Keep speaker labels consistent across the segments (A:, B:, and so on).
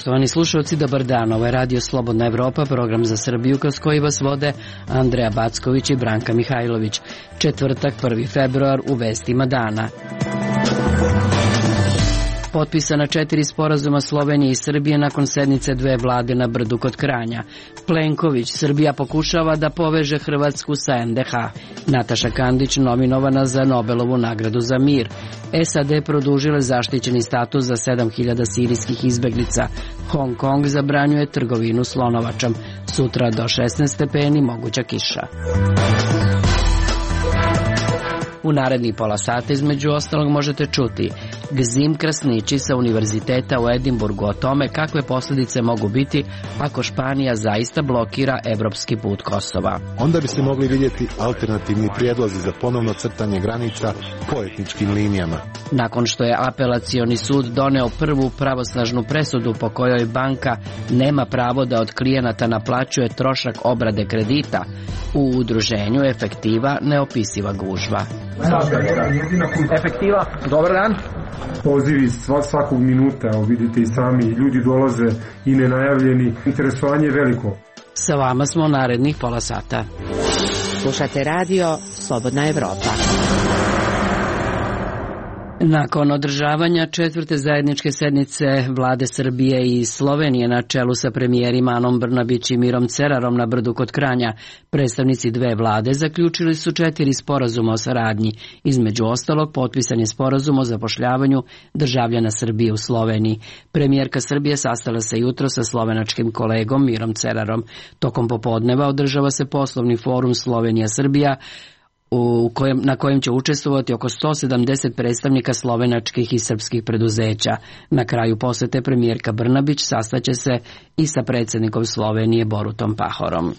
A: Poštovani slušalci, dobar dan. Ovo je Radio Slobodna Evropa, program za Srbiju kroz koji vas vode Andreja Backović i Branka Mihajlović. Četvrtak, 1. februar, u vestima dana. Potpisana 4 sporazuma Slovenije i Srbije nakon sednice dve vlade na Brdu kod Kranja. Plenković, Srbija pokušava da poveže Hrvatsku sa NDH. Nataša Kandić nominovana za Nobelovu nagradu za mir. SAD produžile zaštićeni status za 7.000 sirijskih izbeglica. Hong Kong zabranjuje trgovinu slonovačom. Sutra do 16 stepeni moguća kiša. U narednih pola sata između ostalog možete čuti Gzim Krasnići sa Univerziteta u Edinburgu o tome kakve posljedice mogu biti ako Španija zaista blokira evropski put Kosova.
B: Onda biste mogli vidjeti alternativni prijedlozi za ponovno crtanje granica po etničkim linijama.
A: Nakon što je apelacioni sud doneo prvu pravosnažnu presudu po kojoj banka nema pravo da od klijenata naplaćuje trošak obrade kredita, u udruženju Efektiva neopisiva gužva.
C: Efektiva, dobar dan.
D: Pozivi svakog minuta, vidite i sami, ljudi dolaze i nenajavljeni, interesovanje je veliko.
A: Sa vama smo narednih pola sata.
E: Slušate radio Slobodna Evropa.
A: Nakon održavanja četvrte zajedničke sednice vlade Srbije i Slovenije na čelu sa premijerima Anom Brnabić i Mirom Cerarom na Brdu kod Kranja, predstavnici dve vlade zaključili su 4 sporazuma o saradnji. Između ostalog, potpisan je sporazum o zapošljavanju državljana Srbije u Sloveniji. Premijerka Srbije sastala se jutro sa slovenačkim kolegom Mirom Cerarom. Tokom popodneva održava se poslovni forum Slovenija-Srbija, na kojem će učestvovati oko 170 predstavnika slovenačkih i srpskih preduzeća. Na kraju posete premijerka Brnabić sastaće se i sa predsjednikom Slovenije Borutom Pahorom.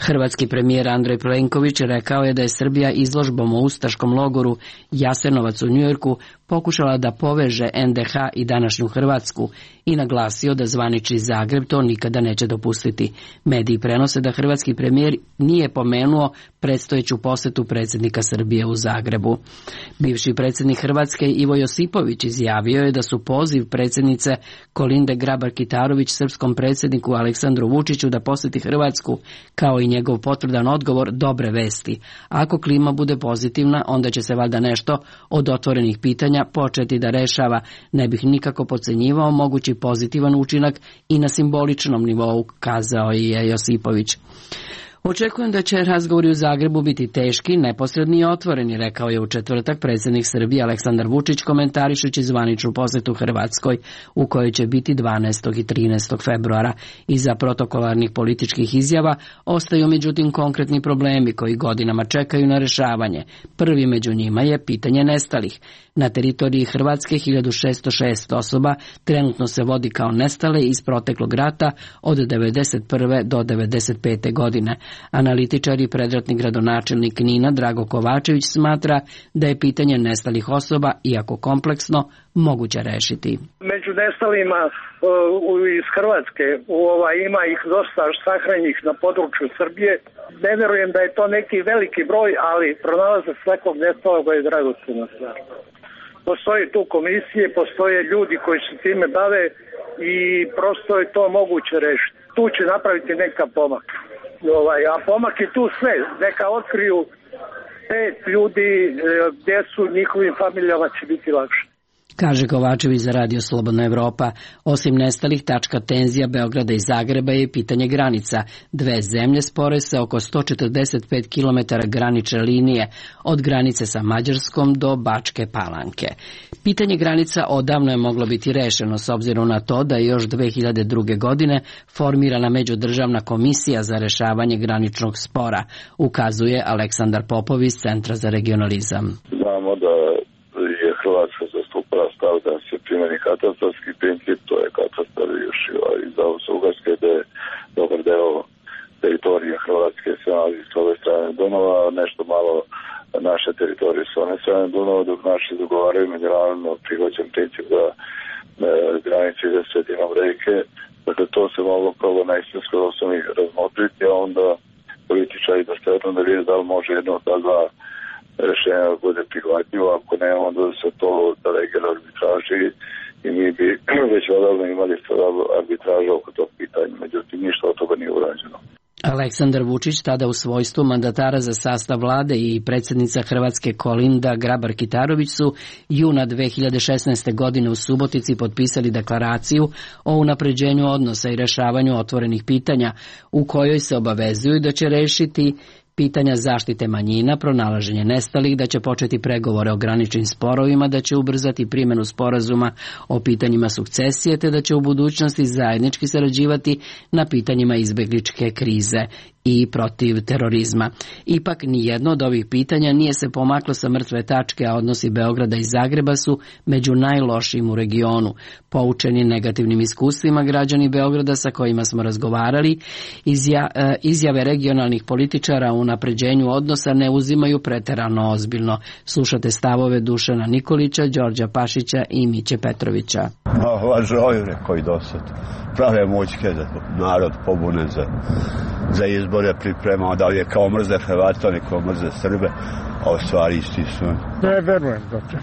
A: Hrvatski premijer Andrej Plenković rekao je da je Srbija izložbom o ustaškom logoru Jasenovac u Njujorku pokušala da poveže NDH i današnju Hrvatsku i naglasio da zvanični Zagreb to nikada neće dopustiti. Mediji prenose da hrvatski premijer nije pomenuo predstojeću posetu predsjednika Srbije u Zagrebu. Bivši predsjednik Hrvatske Ivo Josipović izjavio je da su poziv predsjednice Kolinde Grabar-Kitarović srpskom predsjedniku Aleksandru Vučiću da posjeti Hrvatsku kao i njegov potvrdan odgovor dobre vesti. Ako klima bude pozitivna, onda će se valjda nešto od otvorenih pitanja početi da rešava. Ne bih nikako podcenjivao mogući pozitivan učinak i na simboličnom nivou, kazao je Josipović. Očekujem da će razgovori u Zagrebu biti teški, neposredni i otvoreni, rekao je u četvrtak predsjednik Srbije Aleksandar Vučić komentarišući zvaničnu posjetu Hrvatskoj u kojoj će biti 12. i 13. februara. Iza protokolarnih političkih izjava ostaju međutim konkretni problemi koji godinama čekaju na rešavanje. Prvi među njima je pitanje nestalih. Na teritoriji Hrvatske 1606 osoba trenutno se vodi kao nestale iz proteklog rata od 1991. do 1995. godine. Analitičar i predratni gradonačelnik Knina Drago Kovačević smatra da je pitanje nestalih osoba, iako kompleksno, moguće rešiti.
F: Među nestalima iz Hrvatske ima ih dosta sahranjenih na području Srbije. Ne verujem da je to neki veliki broj, ali pronalazak svakog nestalog je dragocena stvar. Postoje tu komisije, postoje ljudi koji se time bave i prosto je to moguće rešiti. Tu će napraviti neka pomak. A pomak je tu sve. Neka otkriju 5 ljudi gdje su njihovim familijama će biti lakše.
A: Kaže Kovačević za Radio Slobodna Evropa. Osim nestalih, tačka tenzija Beograda i Zagreba je pitanje granica. Dve zemlje spore se oko 145 km granične linije od granice sa Mađarskom do Bačke Palanke. Pitanje granica odavno je moglo biti rešeno s obzirom na to da je još 2002. godine formirana međudržavna komisija za rešavanje graničnog spora, ukazuje Aleksandar Popov iz Centra za regionalizam.
G: Znamo da je Hrvatska zastupala stav da se primjeni katastarski princip, to je katastar još iz Austro-Ugarske, gde je dobar deo teritorije Hrvatske se nalazi s ove strane Dunava, nešto malo naše teritorije s one strane Dunava, dok naši dogovaraju međunarodno prihvaćen princip da granice ide sredinom reke. Dakle, to se moglo prvo na istinskoj osnovi razmotriti, a onda političari da stvarno da vide da li može jedno od ta dva rešenja bude prihvatljivo, ako ne, onda se to delegira arbitraži i mi bi već odavno imali arbitražu oko tog pitanja, međutim ništa od toga nije urađeno.
A: Aleksandar Vučić, tada u svojstvu mandatara za sastav vlade, i predsjednica Hrvatske Kolinda Grabar-Kitarović su juna 2016. godine u Subotici potpisali deklaraciju o unapređenju odnosa i rješavanju otvorenih pitanja, u kojoj se obavezuju da će rešiti pitanja zaštite manjina, pronalaženje nestalih, da će početi pregovore o graničnim sporovima, da će ubrzati primjenu sporazuma o pitanjima sukcesije, te da će u budućnosti zajednički sarađivati na pitanjima izbegličke krize i protiv terorizma. Ipak nijedno od ovih pitanja nije se pomaklo sa mrtve tačke, a odnosi Beograda i Zagreba su među najlošijim u regionu. Poučeni negativnim iskustvima, građani Beograda sa kojima smo razgovarali izjave regionalnih političara o unapređenju odnosa ne uzimaju preterano ozbiljno. Slušate stavove Dušana Nikolića, Đorđa Pašića i Miće Petrovića.
C: Lažoju koji dosad prave mućke da narod pobune za izbore pripremao, da li je kao mrze Hrvata, neko mrze Srbe, a u stvari isti su.
H: Ne verujem da će.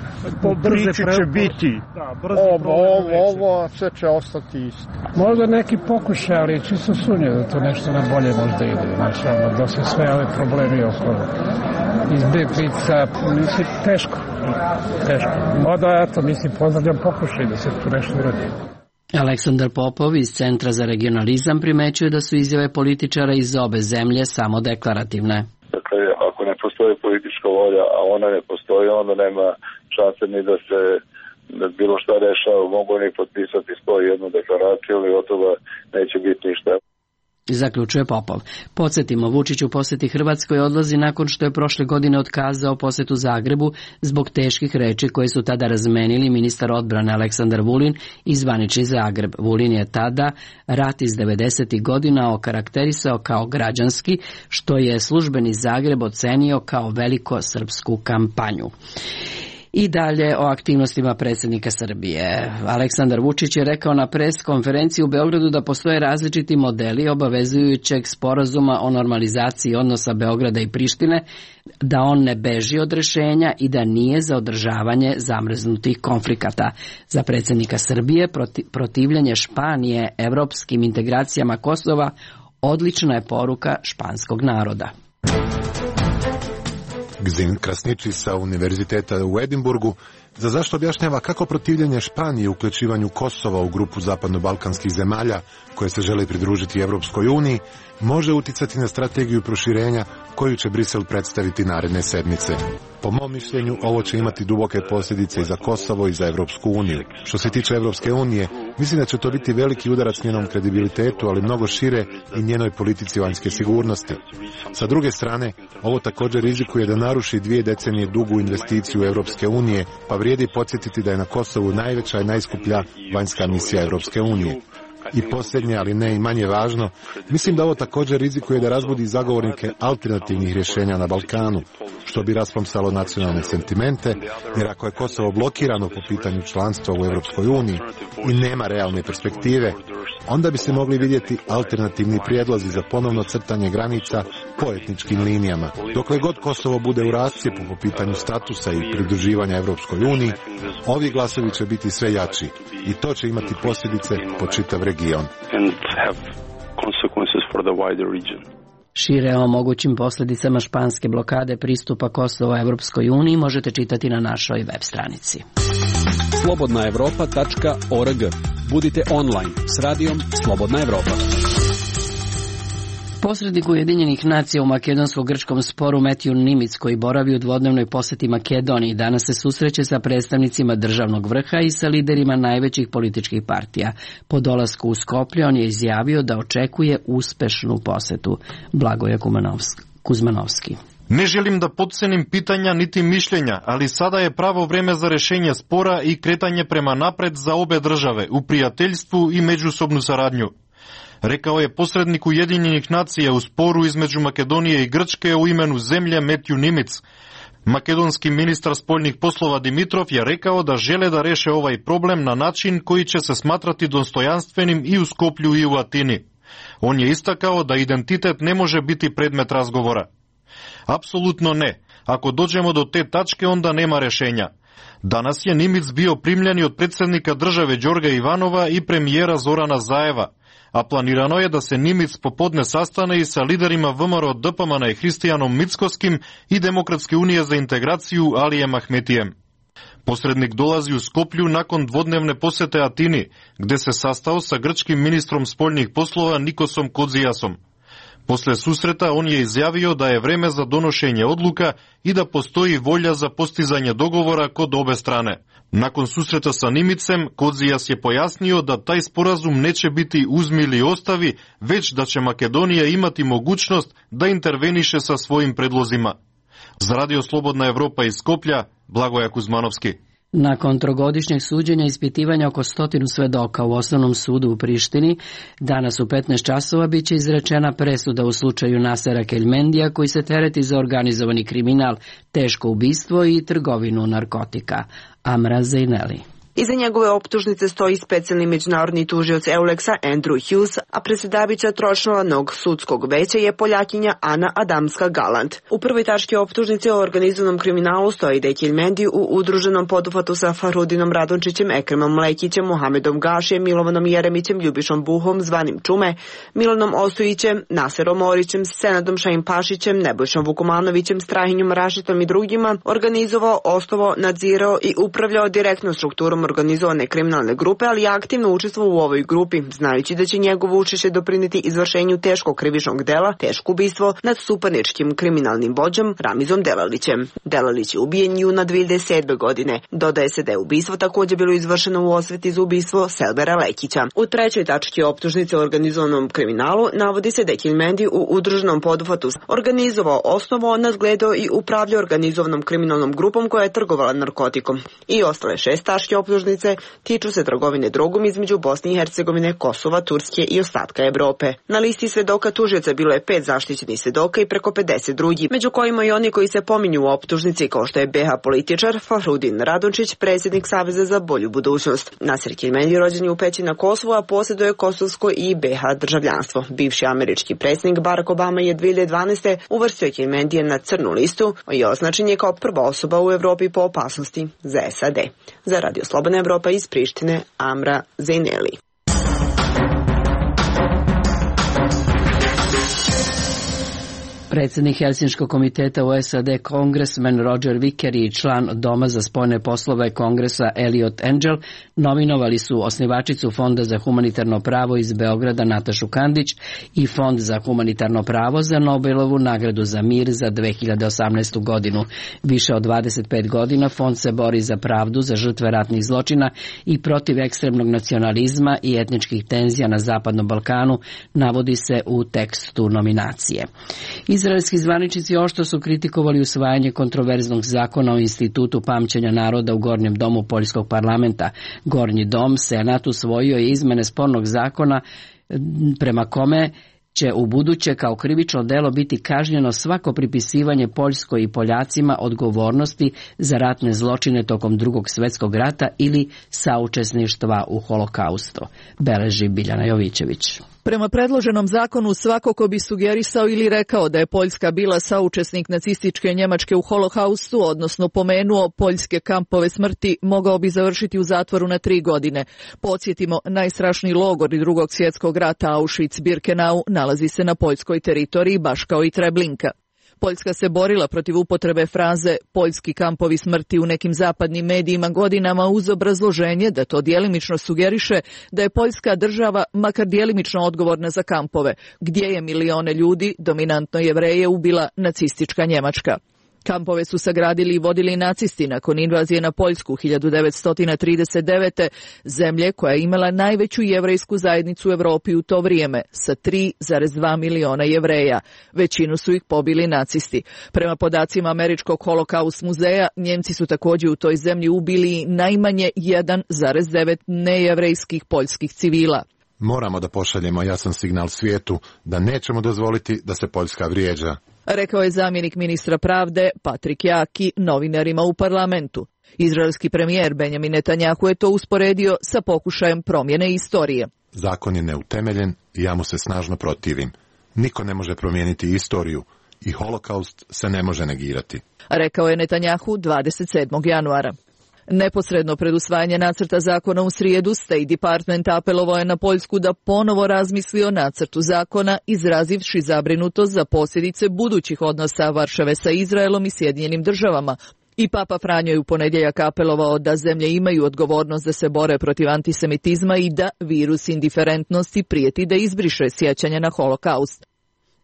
H: Priče će biti. Ovo sve će ostati isto. Možda neki pokušaj, ali čisto sumnje da to nešto na bolje možda ide. Znači, da se sve ove problemi oko izbeglica, mislim, teško. Možda, eto, mislim, pozdravljam pokušaj da se tu nešto uradi.
A: Aleksandar Popov iz Centra za regionalizam primećuje da su izjave političara iz obe zemlje samo deklarativne.
G: Dakle, ako ne postoji politička volja, a ona ne postoji, onda nema šanse ni da se bilo šta rešava. Mogu ni potpisati 101 deklaraciju, ali od toga neće biti ništa.
A: Zaključuje Popov. Podsjetimo, Vučić u posjeti Hrvatskoj odlazi nakon što je prošle godine otkazao posjetu Zagrebu zbog teških reči koje su tada razmenili ministar odbrane Aleksandar Vulin i zvanični Zagreb. Vulin je tada rat iz 90. godina okarakterisao kao građanski, što je službeni Zagreb ocenio kao veliko srpsku kampanju. I dalje o aktivnostima predsjednika Srbije. Aleksandar Vučić je rekao na pres konferenciji u Beogradu da postoje različiti modeli obavezujućeg sporazuma o normalizaciji odnosa Beograda i Prištine, da on ne beži od rješenja i da nije za održavanje zamrznutih konflikata. Za predsjednika Srbije protivljenje Španije evropskim integracijama Kosova odlična je poruka španskog naroda.
B: Gzin Krasniči sa Univerziteta u Edinburgu za zašto objašnjava kako protivljenje Španije uključivanju Kosova u grupu zapadno-balkanskih zemalja koje se žele pridružiti Evropskoj uniji može uticati na strategiju proširenja koju će Brisel predstaviti naredne sedmice. Po mom mišljenju, ovo će imati duboke posljedice i za Kosovo i za Evropsku uniju. Što se tiče Evropske unije, mislim da će to biti veliki udarac njenom kredibilitetu, ali mnogo šire i njenoj politici vanjske sigurnosti. Sa druge strane, ovo također rizikuje da naruši 2 decenije dugu investiciju Evropske unije, pa vrijedi podsjetiti da je na Kosovu najveća i najskuplja vanjska misija Evropske unije. I posljednje, ali ne i manje važno, mislim da ovo također rizikuje da razbudi zagovornike alternativnih rješenja na Balkanu, što bi raspomsalo nacionalne sentimente, jer ako je Kosovo blokirano po pitanju članstva u Europskoj uniji i nema realne perspektive, onda bi se mogli vidjeti alternativni prijedlozi za ponovno crtanje granica po etničkim linijama. Dokle god Kosovo bude u rascijepu po pitanju statusa i pridruživanja Europskoj uniji, ovi glasovi će biti sve jači i to će imati posljedice po čitav region.
A: Šire o mogućim posljedicama španske blokade pristupa Kosova Evropskoj uniji možete čitati na našoj web stranici.
I: slobodnaevropa.org. Budite online s radijom Slobodna Evropa.
A: Posrednik Ujedinjenih nacija u makedonsko-grčkom sporu Matthew Nimitz, koji boravi u dvodnevnoj posjeti Makedoniji, danas se susreće sa predstavnicima državnog vrha i sa liderima najvećih političkih partija. Po dolasku u Skoplje on je izjavio da očekuje uspešnu posjetu. Blagoje Kuzmanovski.
J: Ne želim da potcenim pitanja niti mišljenja, ali sada je pravo vreme za rešenje spora i kretanje prema napred za obe države, u prijateljstvu i međusobnu saradnju. Rekao je posrednik Ujedinjenih nacija u sporu između Makedonije i Grčke u imenu zemlje Matthew Nimitz. Makedonski ministar spoljnih poslova Dimitrov je rekao da žele da reše ovaj problem na način koji će se smatrati dostojanstvenim i u Skoplju i u Atini. On je istakao da identitet ne može biti predmet razgovora. Apsolutno ne. Ako dođemo do te tačke, onda nema rešenja. Danas je Nimic bio primljen od predsednika države Đorga Ivanova i premijera Zorana Zaeva, a planirano je da se Nimic popodne sastane i sa liderima VMRO DPMN i Hristijanom Mickoskim i Demokratske unije za integraciju Alijem Ahmetijem. Posrednik dolazi u Skoplju nakon dvodnevne posete Atini, gde se sastao sa grčkim ministrom spoljnih poslova Nikosom Kodzijasom. Posle susreta on je izjavio da je vreme za donošenje odluka i da postoji volja za postizanje dogovora kod obe strane. Nakon susreta sa Nimicem, Kodzijas je pojasnio da taj sporazum neće biti uzmi ili ostavi, već da će Makedonija imati mogućnost da interveniše sa svojim predlozima. Za Radio Slobodna Evropa iz Skoplja, Blagoja Kuzmanovski.
A: Nakon trogodišnjeg suđenja i ispitivanja oko 100 svedoka u Osnovnom sudu u Prištini, danas u 15 časova biće izrečena presuda u slučaju Nasera Keljmendija, koji se tereti za organizovani kriminal, teško ubistvo i trgovinu narkotika. Amra Zejneli.
K: Iza njegove optužnice stoji specijalni međunarodni tužioc Euleksa Andrew Hughes, a predsjedavajuća tročlanog sudskog veća je Poljakinja Ana Adamska-Galant. U prvoj tački optužnice o organizovanom kriminalu stoji da je Keljmendi u udruženom poduhvatu sa Farhudinom Radončićem, Ekremom Lekićem, Mohamedom Gašijem, Milovanom Jeremićem, Ljubišom Buhom, zvanim Čume, Milanom Ostojićem, Naserom Orićem, Senadom Šajim Pašićem, Nebojšom Vukomanovićem, Strahinjom Rašitom i drugima organizovao, osnovao, nadzirao i upravljao direktno strukturom organizovane kriminalne grupe, ali je aktivno učestvovao u ovoj grupi, znajući da će njegovo učešće doprineti izvršenju teškog krivičnog dela, teško ubistvo nad suparničkim kriminalnim vođom Ramizom Delalićem. Delalić je ubijen juna 2007. godine. Dodaje se da je ubistvo također bilo izvršeno u osveti za ubistvo Selbera Lekića. U trećoj tački optužnice o organizovanom kriminalu navodi se da je Keljmendi u udruženom poduhvatu organizovao, osnovao, nadgledao i upravljao organizovanom kriminalnom grupom koja je trgovala narkotikom. I ostale 6 tačke optužnice tiču se trgovine drogom između Bosne i Hercegovine, Kosova, Turske i ostatka Evrope. Na listi svedoka tužioca bilo je 5 zaštićenih svedoka i preko 50 drugih, među kojima i oni koji se pominju u optužnici, kao što je BH političar Farhudin Radončić, predsjednik Saveza za bolju budućnost. Naser Keljmendi rođen je u Peći na Kosovu, a posjeduje kosovsko i BH državljanstvo. Bivši američki predsjednik Barack Obama je 2012. uvrstio Keljmendija na crnu listu i označen je kao prva osoba u Evropi po opasnosti za SAD. Za Radio Slobodna Evropa iz Prištine, Amra Zejneli.
A: Predsjednik Helsinškog komiteta u SAD, kongresmen Roger Wicker i član Doma za spoljne poslove Kongresa Eliot Engel nominovali su osnivačicu Fonda za humanitarno pravo iz Beograda Natašu Kandić i Fond za humanitarno pravo za Nobelovu nagradu za mir za 2018. godinu. Više od 25 godina Fond se bori za pravdu za žrtve ratnih zločina i protiv ekstremnog nacionalizma i etničkih tenzija na Zapadnom Balkanu, navodi se u tekstu nominacije. Izraelski zvaničnici oštro su kritikovali usvajanje kontroverznog zakona o Institutu pamćenja naroda u Gornjem domu Poljskog parlamenta. Gornji dom, Senat, usvojio je izmene spornog zakona prema kome će u buduće kao krivično delo biti kažnjeno svako pripisivanje Poljskoj i Poljacima odgovornosti za ratne zločine tokom Drugog svjetskog rata ili saučesništva u holokaustu, beleži Biljana Jovićević.
L: Prema predloženom zakonu svako ko bi sugerisao ili rekao da je Poljska bila saučesnik nacističke Njemačke u holokaustu, odnosno pomenuo poljske kampove smrti, mogao bi završiti u zatvoru na 3 godine. Podsjetimo, najstrašniji logor Drugog svjetskog rata Auschwitz-Birkenau nalazi se na poljskoj teritoriji, baš kao i Treblinka. Poljska se borila protiv upotrebe fraze poljski kampovi smrti u nekim zapadnim medijima godinama uz obrazloženje da to djelimično sugeriše da je Poljska država makar djelimično odgovorna za kampove, gdje je milione ljudi, dominantno Jevreje, ubila nacistička Njemačka. Kampove su sagradili i vodili nacisti nakon invazije na Poljsku 1939. zemlje koja je imala najveću jevrejsku zajednicu u Europi u to vrijeme sa 3,2 miliona Jevreja. Većinu su ih pobili nacisti. Prema podacima Američkog holokaust muzeja, Njemci su također u toj zemlji ubili najmanje 1,9 nejevrejskih poljskih civila.
B: Moramo da pošaljemo jasan signal svijetu da nećemo dozvoliti da se Poljska vrijeđa,
L: rekao je zamjenik ministra pravde Patrik Jaki novinarima u parlamentu. Izraelski premijer Benjamin Netanjahu je to usporedio sa pokušajem promjene istorije.
B: Zakon je neutemeljen i ja mu se snažno protivim. Niko ne može promijeniti istoriju i holokaust se ne može negirati,
L: rekao je Netanjahu 27. januara. Neposredno pred usvajanje nacrta zakona u srijedu, State Department apelovao je na Poljsku da ponovo razmisli o nacrtu zakona, izrazivši zabrinutost za posljedice budućih odnosa Varšave sa Izraelom i Sjedinjenim državama. I Papa Franjo je u ponedjeljak apelovao da zemlje imaju odgovornost da se bore protiv antisemitizma i da virus indiferentnosti prijeti da izbriše sjećanje na holokaust.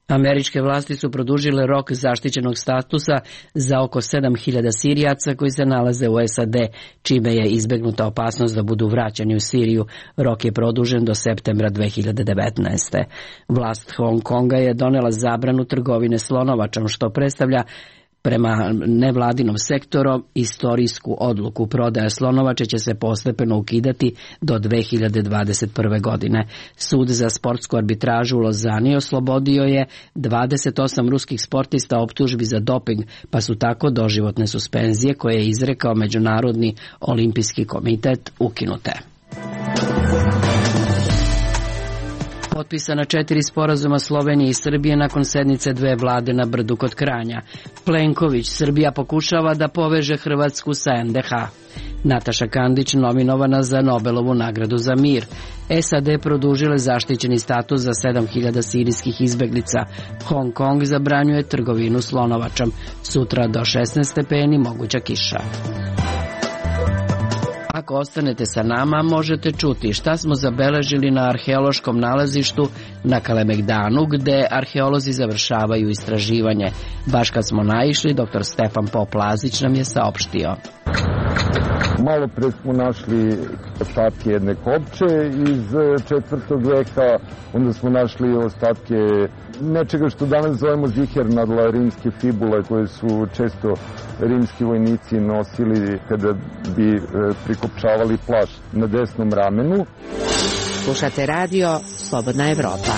A: Američke vlasti su produžile rok zaštićenog statusa za oko 7.000 Sirijaca koji se nalaze u SAD, čime je izbegnuta opasnost da budu vraćani u Siriju. Rok je produžen do septembra 2019. Vlast Hong Konga je donela zabranu trgovine slonovačom, što predstavlja prema nevladinom sektoru istorijsku odluku. Prodaja slonovače će se postepeno ukidati do 2021. godine. Sud za sportsku arbitražu u Lozani oslobodio je 28 ruskih sportista optužbi za doping, pa su tako doživotne suspenzije koje je izrekao Međunarodni olimpijski komitet ukinute. Potpisana 4 sporazuma Slovenije i Srbije nakon sednice dve vlade na Brdu kod Kranja. Plenković, Srbija pokušava da poveže Hrvatsku sa NDH. Nataša Kandić nominovana za Nobelovu nagradu za mir. SAD produžile zaštićeni status za 7.000 sirijskih izbeglica. Hong Kong zabranjuje trgovinu slonovačom. Sutra do 16 stepeni moguća kiša. Ako ostanete sa nama, možete čuti šta smo zabeležili na arheološkom nalazištu na Kalemegdanu, gde arheolozi završavaju istraživanje. Baš kad smo naišli, dr. Stefan Pop-Lazić nam je saopštio.
M: Malo pre smo našli ostatke jedne kopče iz 4. veka, onda smo našli ostatke nečega što danas zovemo zihernadla, rimske fibule koje su često rimski vojnici nosili kada bi prikopčavali plašt na desnom ramenu.
E: Slušate radio Slobodna Evropa.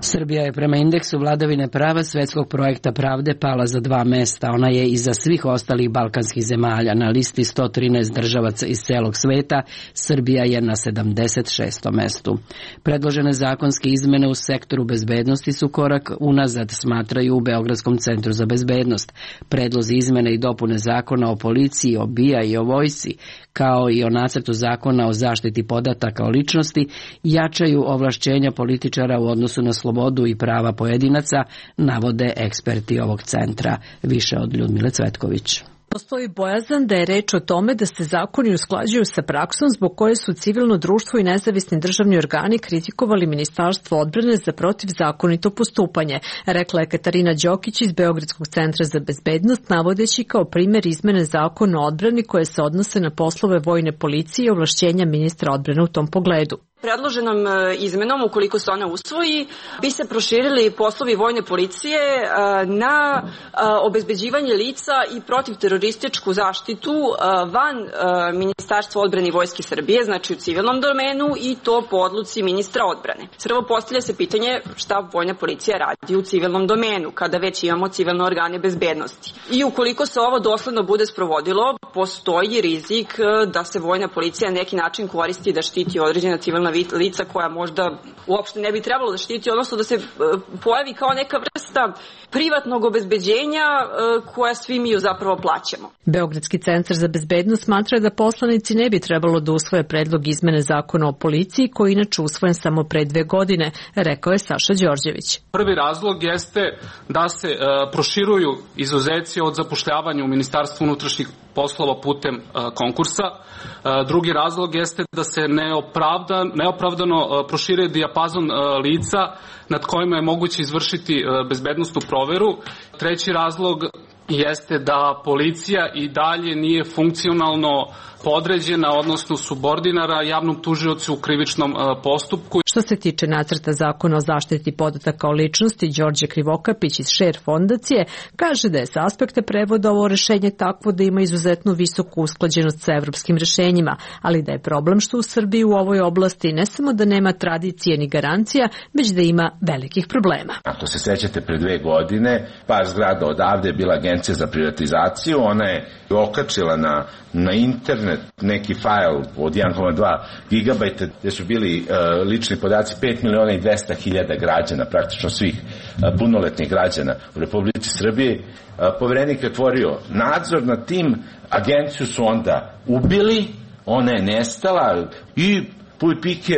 A: Srbija je prema indeksu vladavine prava svetskog projekta pravde pala za 2 mesta. Ona je iza svih ostalih balkanskih zemalja. Na listi 113 državaca iz celog sveta, Srbija je na 76. mestu. Predložene zakonske izmene u sektoru bezbednosti su korak unazad, smatraju u Beogradskom centru za bezbednost. Predlozi izmene i dopune zakona o policiji, o BIA i o vojsci, kao i o nacrtu zakona o zaštiti podataka o ličnosti, jačaju ovlašćenja političara u odnosu na slobodu i prava pojedinaca, navode eksperti ovog centra. Više od Ljudmile Cvetković.
N: Postoji bojazan da je reč o tome da se zakoni usklađuju sa praksom zbog koje su civilno društvo i nezavisni državni organi kritikovali Ministarstvo odbrane za protivzakonito postupanje, rekla je Katarina Đokić iz Beogradskog centra za bezbednost, navodeći kao primjer izmene zakona o odbrani koje se odnose na poslove vojne policije i ovlašćenja ministra odbrane u tom pogledu.
O: Predloženom izmenom, ukoliko se ona usvoji, bi se proširili poslovi vojne policije na obezbeđivanje lica i protivterorističku zaštitu van Ministarstva odbrane i Vojske Srbije, znači u civilnom domenu, i to po odluci ministra odbrane. Prvo postavlja se pitanje šta vojna policija radi u civilnom domenu, kada već imamo civilne organe bezbednosti. I ukoliko se ovo dosledno bude sprovodilo, postoji rizik da se vojna policija na neki način koristi da štiti određena civilna lica koja možda uopšte ne bi trebalo da štiti, odnosno da se pojavi kao neka vrsta privatnog obezbeđenja koja svi mi zapravo plaćamo.
N: Beogradski centar za bezbednost smatra da poslanici ne bi trebalo da usvoje predlog izmene zakona o policiji, koji je inače usvojen samo pre 2 godine, rekao je Saša Đorđević.
P: Prvi razlog jeste da se proširuju izuzeci od zapošljavanja u Ministarstvu unutrašnjih poslova putem konkursa. Drugi razlog jeste da se neopravdano proširuje dijapazon lica nad kojima je moguće izvršiti bezbednosnu proveru. Treći razlog jeste da policija i dalje nije funkcionalno podređena, odnosno subordinara javnom tužiocu u krivičnom postupku.
N: Što se tiče nacrta zakona o zaštiti podataka o ličnosti, Đorđe Krivokapić iz Share fondacije kaže da je sa aspekta prevoda ovo rešenje takvo da ima izuzetno visoku usklađenost sa evropskim rešenjima, ali da je problem što u Srbiji u ovoj oblasti ne samo da nema tradicije ni garancija, već da ima velikih problema.
Q: Ako se sećate, pre 2 godine, par zgrada odavde je bila Agencija za privatizaciju, ona je okačila na internet internet, neki fajl od 1,2 gigabajta gde su bili lični podaci 5.200.000 građana, praktično svih punoletnih građana u Republici Srbiji. Poverenik je otvorio nadzor nad tim, agenciju su onda ubili, ona je nestala i puj pike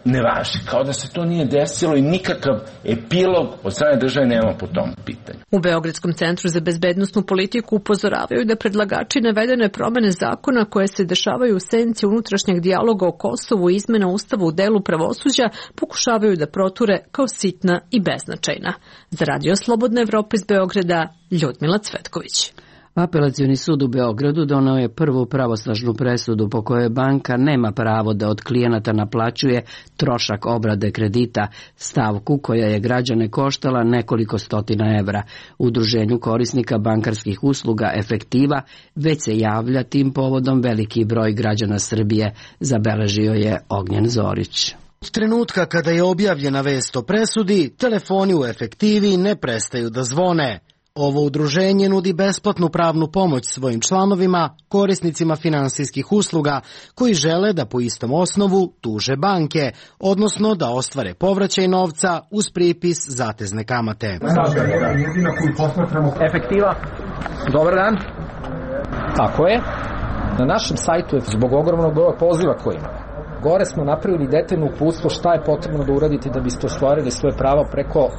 Q: ne važi, kao da se to nije desilo i nikakav epilog od strane države nema po tom pitanju.
N: U Beogradskom centru za bezbednosnu politiku upozoravaju da predlagači navedene promene zakona koje se dešavaju u senci unutrašnjeg dijaloga o Kosovu i izmena ustava u delu pravosuđa pokušavaju da proture kao sitna i beznačajna. Za Radio Slobodna Evropa iz Beograda, Ljudmila Cvetković.
A: Apelacioni sud u Beogradu doneo je prvu pravosnažnu presudu po kojoj banka nema pravo da od klijenata naplaćuje trošak obrade kredita, stavku koja je građane koštala nekoliko stotina evra. Udruženju korisnika bankarskih usluga Efektiva već se javlja tim povodom veliki broj građana Srbije, zabeležio je Ognjen Zorić.
R: Od trenutka kada je objavljena vest o presudi, telefoni u Efektivi ne prestaju da zvone. Ovo udruženje nudi besplatnu pravnu pomoć svojim članovima, korisnicima finansijskih usluga, koji žele da po istom osnovu tuže banke, odnosno da ostvare povraćaj novca uz pripis zatezne kamate.
S: Efektiva. Dobar dan. Tako je. Na našem sajtu je zbog ogromnog broja poziva koji imamo. Gore smo napravili detaljno uputstvo šta je potrebno da uradite da biste ostvarili svoje pravo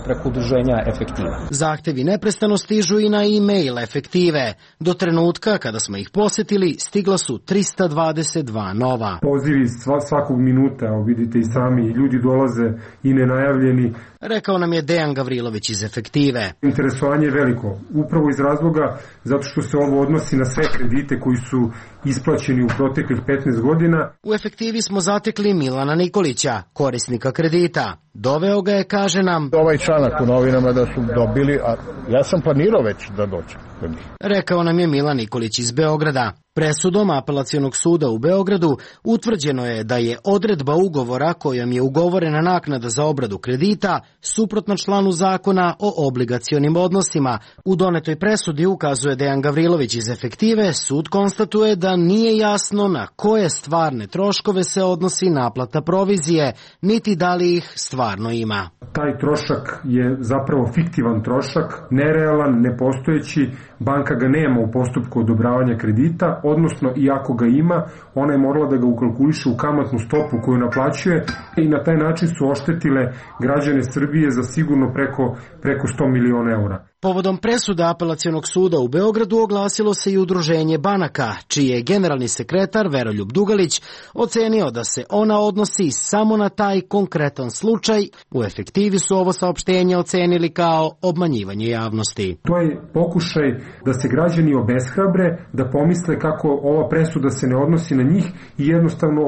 S: preko udruženja Efektiva.
R: Zahtevi neprestano stižu i na e-mail Efektive. Do trenutka kada smo ih posetili stigla su 322 nova.
D: Pozivi svakog minuta, vidite i sami, ljudi dolaze i nenajavljeni.
R: Rekao nam je Dejan Gavrilović iz Efektive.
D: Interesovanje je veliko, upravo iz razloga zato što se ovo odnosi na sve kredite koji su isplaćeni u proteklih 15 godina.
R: U Efektivi smo zatekli Milana Nikolića, korisnika kredita. Doveo ga je, kaže nam,
H: ovaj članak u novinama da su dobili, a ja sam planirao već da dođem.
R: Rekao nam je Milan Nikolić iz Beograda. Presudom Apelacionog suda u Beogradu utvrđeno je da je odredba ugovora kojom je ugovorena naknada za obradu kredita suprotna članu zakona o obligacionim odnosima. U donetoj presudi, ukazuje Dejan Gavrilović iz Efektive, sud konstatuje da nije jasno na koje stvarne troškove se odnosi naplata provizije, niti da li ih stvarno ima.
D: Taj trošak je zapravo fiktivan trošak, nerealan, nepostojeći, banka ga nema u postupku odobravanja kredita, odnosno i ako ga ima, ona je morala da ga ukalkuliše u kamatnu stopu koju naplaćuje i na taj način su oštetile građane Srbije za sigurno preko 100 miliona eura.
R: Povodom presuda Apelacionog suda u Beogradu oglasilo se i udruženje banaka, čiji je generalni sekretar Veroljub Dugalić ocenio da se ona odnosi samo na taj konkretan slučaj. U Efektivi su ovo saopštenje ocenili kao obmanjivanje javnosti.
D: To je pokušaj da se građani obeshrabre, da pomisle kako ova presuda se ne odnosi na njih i jednostavno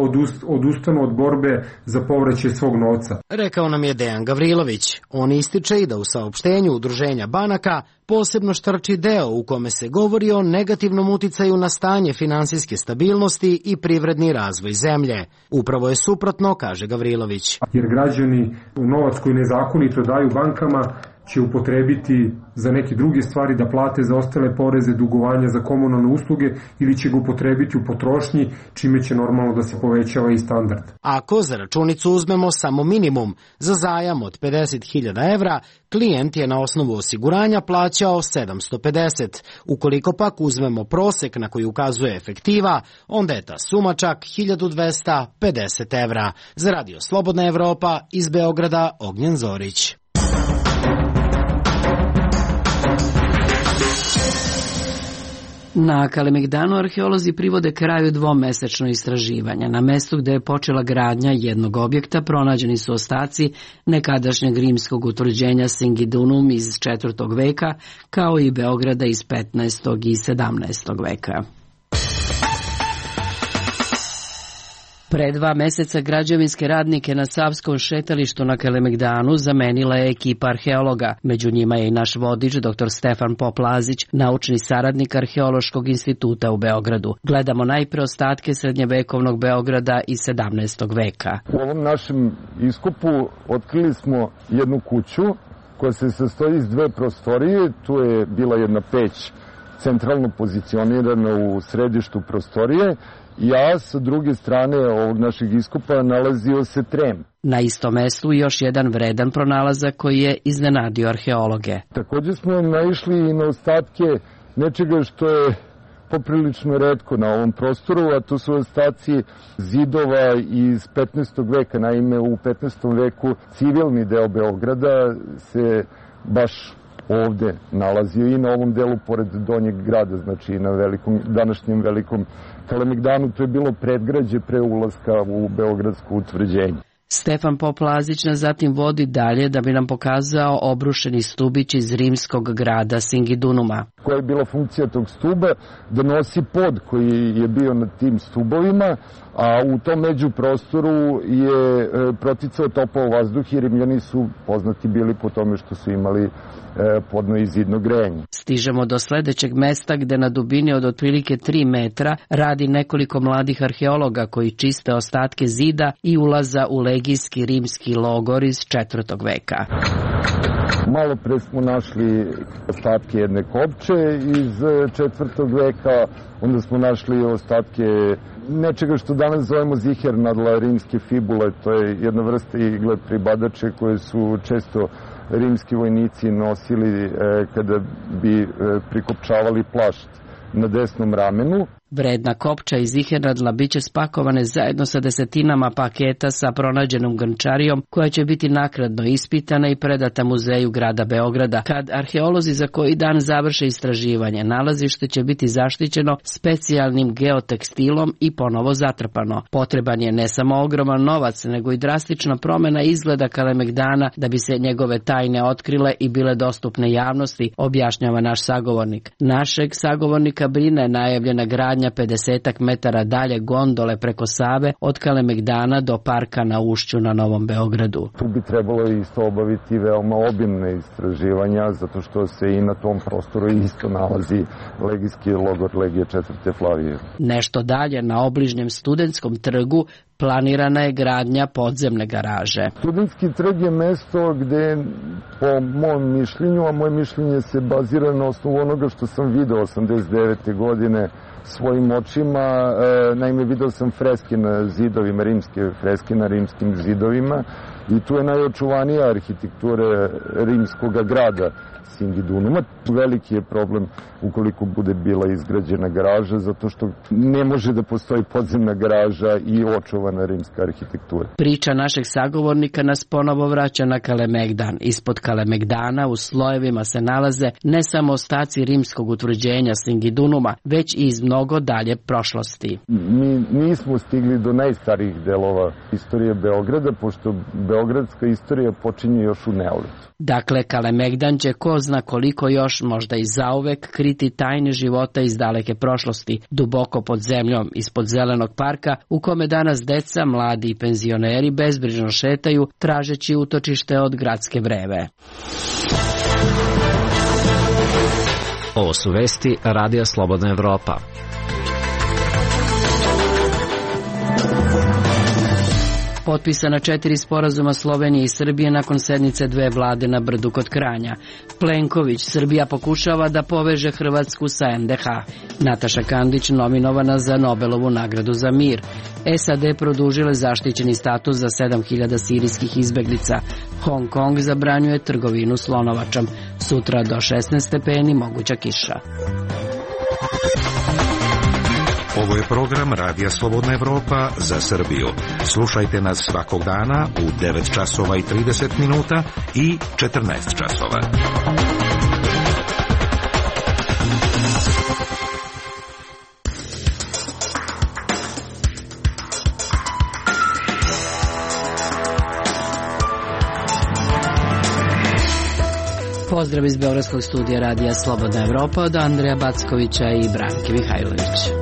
D: odustanu od borbe za povraćaj svog novca.
R: Rekao nam je Dejan Gavrilović. On ističe i da u saopštenju udruženja banaka posebno štrči deo u kome se govori o negativnom uticaju na stanje finansijske stabilnosti i privredni razvoj zemlje. Upravo je suprotno, kaže Gavrilović.
D: Jer građani novac koji nezakonito daju bankama će upotrebiti za neke druge stvari, da plate za ostale poreze, dugovanja za komunalne usluge ili će ga upotrebiti u potrošnji, čime će normalno da se povećava i standard.
R: Ako za računicu uzmemo samo minimum, za zajam od 50.000 evra, klijent je na osnovu osiguranja plaćao 750. Ukoliko pak uzmemo prosek na koji ukazuje Efektiva, onda je ta suma čak 1250 evra. Za Radio Slobodna Evropa iz Beograda, Ognjen Zorić.
A: Na Kalemegdanu arheolozi privode kraju dvomesečno istraživanja. Na mestu gde je počela gradnja jednog objekta pronađeni su ostaci nekadašnjeg rimskog utvrđenja Singidunum iz 4. veka, kao i Beograda iz 15. i 17. veka. Pre 2 meseca građevinske radnike na Savskom šetalištu na Kalemegdanu zamenila je ekipa arheologa. Među njima je i naš vodič, dr. Stefan Poplazić, naučni saradnik Arheološkog instituta u Beogradu. Gledamo najpre ostatke srednjevekovnog Beograda iz 17. veka.
M: U ovom našem iskopu otkrili smo jednu kuću koja se sastoji iz 2 prostorije. Tu je bila jedna peć centralno pozicionirana u središtu prostorije a sa druge strane ovog našeg iskopa nalazio se trem.
A: Na istom mestu još jedan vredan pronalazak koji je iznenadio arheologe.
M: Takođe smo naišli i na ostatke nečega što je poprilično retko na ovom prostoru, a to su ostaci zidova iz 15. veka. Naime, u 15. veku civilni deo Beograda se baš ovde nalazio i na ovom delu pored Donjeg grada, znači i na današnjem velikom Kalemegdanu. To je bilo predgrađe pre ulaska u beogradsko utvrđenje.
A: Stefan Poplazić nas zatim vodi dalje da bi nam pokazao obrušeni stubić iz rimskog grada Singidunuma.
M: Koja je bila funkcija tog stuba? Da nosi pod koji je bio na tim stubovima, a u tom međuprostoru je proticao topao vazduh i Rimljani su poznati bili po tome što su imali podno i zidno grejanje.
A: Stižemo do sledećeg mesta gde na dubini od otprilike 3 metra radi nekoliko mladih arheologa koji čiste ostatke zida i ulaza u legijski rimski logor iz 4. veka.
M: Malo pre smo našli ostatke jedne kopče iz 4. veka, onda smo našli ostatke nečega što danas zovemo zihernadla, rimske fibule. To je jedna vrsta igle pribadače koje su često rimski vojnici nosili kada bi prikopčavali plašt na desnom ramenu.
A: Vredna kopča i zihernadla biće spakovane zajedno sa desetinama paketa sa pronađenom grnčarijom koja će biti naknadno ispitana i predata muzeju grada Beograda. Kad arheolozi za koji dan završe istraživanje, nalazište će biti zaštićeno specijalnim geotekstilom i ponovo zatrpano. Potreban je ne samo ogroman novac, nego i drastična promena izgleda Kalemegdana da bi se njegove tajne otkrile i bile dostupne javnosti, objašnjava naš sagovornik. Našeg sagovornika brine najavljena gradnja 50 metara dalje gondole preko Save od Kalemegdana do parka na Ušću na Novom Beogradu.
M: Tu bi trebalo isto obaviti veoma obimne istraživanja, zato što se i na tom prostoru isto nalazi legijski logor Legije 4. Flavije.
A: Nešto dalje na obližnjem Studentskom trgu planirana je gradnja podzemne garaže.
M: Studentski trg je mesto gde, po mom mišljenju, a moje mišljenje se bazira na osnovu onoga što sam video 89. godine svojim očima. Naime, video sam freske na zidovima, rimske freske na rimskim zidovima i tu je najočuvanija arhitektura rimskog grada Singidunuma. Veliki je problem ukoliko bude bila izgrađena garaža, zato što ne može da postoji podzemna garaža i očuvana rimska arhitektura.
A: Priča našeg sagovornika nas ponovo vraća na Kalemegdan. Ispod Kalemegdana u slojevima se nalaze ne samo ostaci rimskog utvrđenja Singidunuma, već i iz mnogo dalje prošlosti.
M: Mi nismo stigli do najstarijih delova istorije Beograda, pošto beogradska istorija počinje još u neolitu.
A: Dakle, Kalemegdan će ko zna koliko još, možda i zauvek, kriti tajne života iz daleke prošlosti, duboko pod zemljom, ispod zelenog parka, u kome danas deca, mladi i penzioneri bezbrižno šetaju, tražeći utočište od gradske vreve.
T: Ovo su vesti Radija Slobodna Evropa.
A: Potpisana 4 sporazuma Slovenije i Srbije nakon sednice 2 vlade na Brdu kod Kranja. Plenković, Srbija pokušava da poveže Hrvatsku sa NDH. Nataša Kandić nominovana za Nobelovu nagradu za mir. SAD produžile zaštićeni status za 7000 sirijskih izbeglica. Hong Kong zabranjuje trgovinu slonovačom. Sutra do 16 stepeni moguća kiša.
U: Ovo je program Radija Slobodna Evropa za Srbiju. Slušajte nas svakog dana u 9 časova i 30 minuta i 14 časova.
A: Pozdrav iz Beogradskog studija Radija Slobodna Evropa od Andreja Backovića i Branke Mihajlović.